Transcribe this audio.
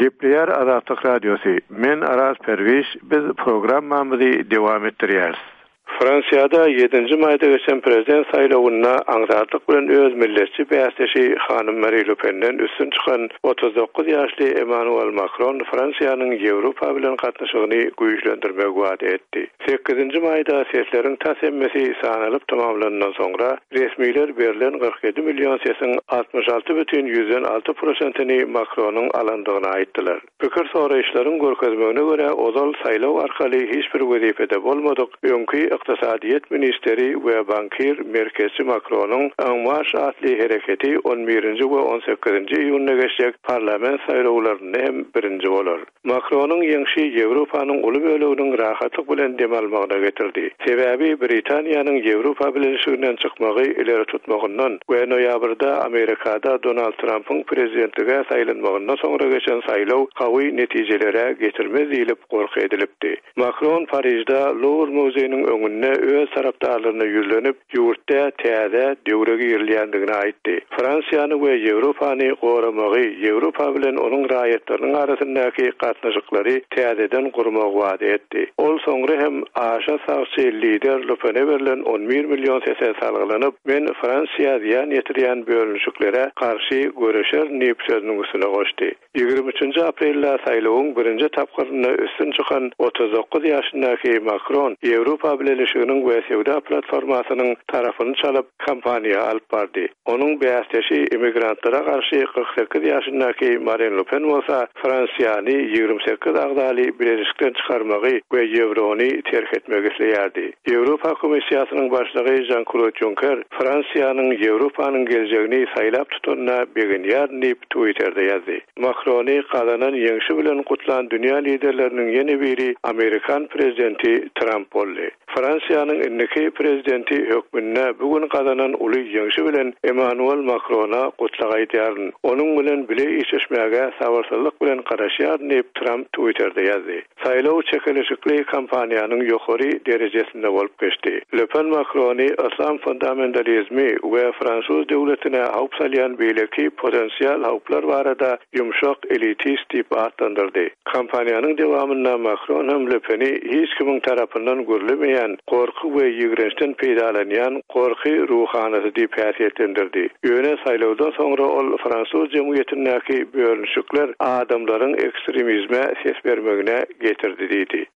Gepleýär Azatlyk Radiosy, Men Araz Perwiş, biz programmamyzy dowam etdirýäris. Fransiýada ýedinji maýda geçen prezident saýlawynda aňsatlyk bilen öz milletçi bäsdeşi hanym Mari Le Penden üstün çykan 39 ýaşly Emmanuel Makron Fransiýanyň Ýewropa bilen gatnaşygyny güýçlendirmegi wada etdi. Sekizinji maýda sesleriň tas hemmesi sanalyp tamamlanandan soňra, resmiler berlen 47 million sesiň 66 bütin prosentini Makronyň alandygyny aýtdylar. Pikir soraýyşlaryň görkezmegine görä, ozal saýlaw arkaly hiç bir wezipede bolmadyk öňki ykdysadyýet ministri we bankir merkezçi Makronyň En Marş atly hereketi 11-nji we 18-nji iýunda geçjek parlament saýlawlarynda hem birinji bolar. Makronyň ýeňşi Ýewropanyň uly böleginiň rahatlyk bilen dem almagyna getirdi. Sebäbi Britaniýanyň Ýewropa Bileleşiginden çykmagy ileri tutmagyndan we noýabrda Amerikada Donald Trampyň prezidentlige saýlanmagyndan soňra geçen saýlaw gawy netijelere getirmez diýlip gorky edilipdi. Makron Parižde Luwr muzeýiniň öňünde öz tarapdarlaryna ýüzlenip, ýurtda täze döwre girilýändigini aýtdy. Fransiýany we Ýewropany goramagy, Ýewropa bilen onuň raýatlarynyň arasyndaky gatnaşyklary täzeden gurmagy wada etdi. Ol soňra hem aşa sagçy lider Le Pene berlen 11 million sese salgylanyp, Men Fransiýa zyýan ýetirýän bölünişiklere garşy göreşerin diýip sözüniň üstüne goşdy. 23 aprelde saýlawyň birinji tapgyrynda üstün çykan 39 ýaşyndaky Makron Ýewropa Bileleşiginiň we söwda platformasynyň tarapyny çalyp, kampaniýa alyp bardy. Onuň bäsdeşi immigrantlara garşy 48 ýaşyndaky Marin Le Pen bolsa Fransiýany 28 agzaly bileleşikden çykarmagy we ýewrony terk etmegi isleýärdi. Ýewropa Komissiýasynyň başlygy Žan-Klod Ýunker Fransiýanyň Ýewropanyň geljegini saýlap tutanyna begenýärin diýip, Twitterde ýazdy. Makrony gazanan ýeňşi bilen gutlan dünýä liderleriniň ýene biri amerikan prezidenti Tramp boldy. Fransiýanyň indiki prezidenti hökmünde bu gün gazanan uly ýeňşi bilen Emmanuel Makrona gutlag aýdýaryn. Onuň bilen bile işleşmäge sabyrsyzlyk bilen garaşýaryn diýip, Tramp Twitterde ýazdy. Saýlaw çekeleşikli kampaniýanyň ýokary derejesinde bolup geçdi. Le Pen Makrony yslam fundamentalizmi we fransuz döwletine howp salýan beýleki potensial howplar barada ýumşak elitist diýip atlandyrdy. Kampaniýanyň dowamynda Makron hem Le Peni hiç kimiň tarapyndan gürlemeýän, gorky we ýigrençden peýdalanýan gorky ruhanysy diýip häsiýetlendirdi. Ýöne saýlawdan soňra ol fransuz jemgyýetindäki bölünişikler adamlaryň ekstremizme ses bermegine getirdi diýdi.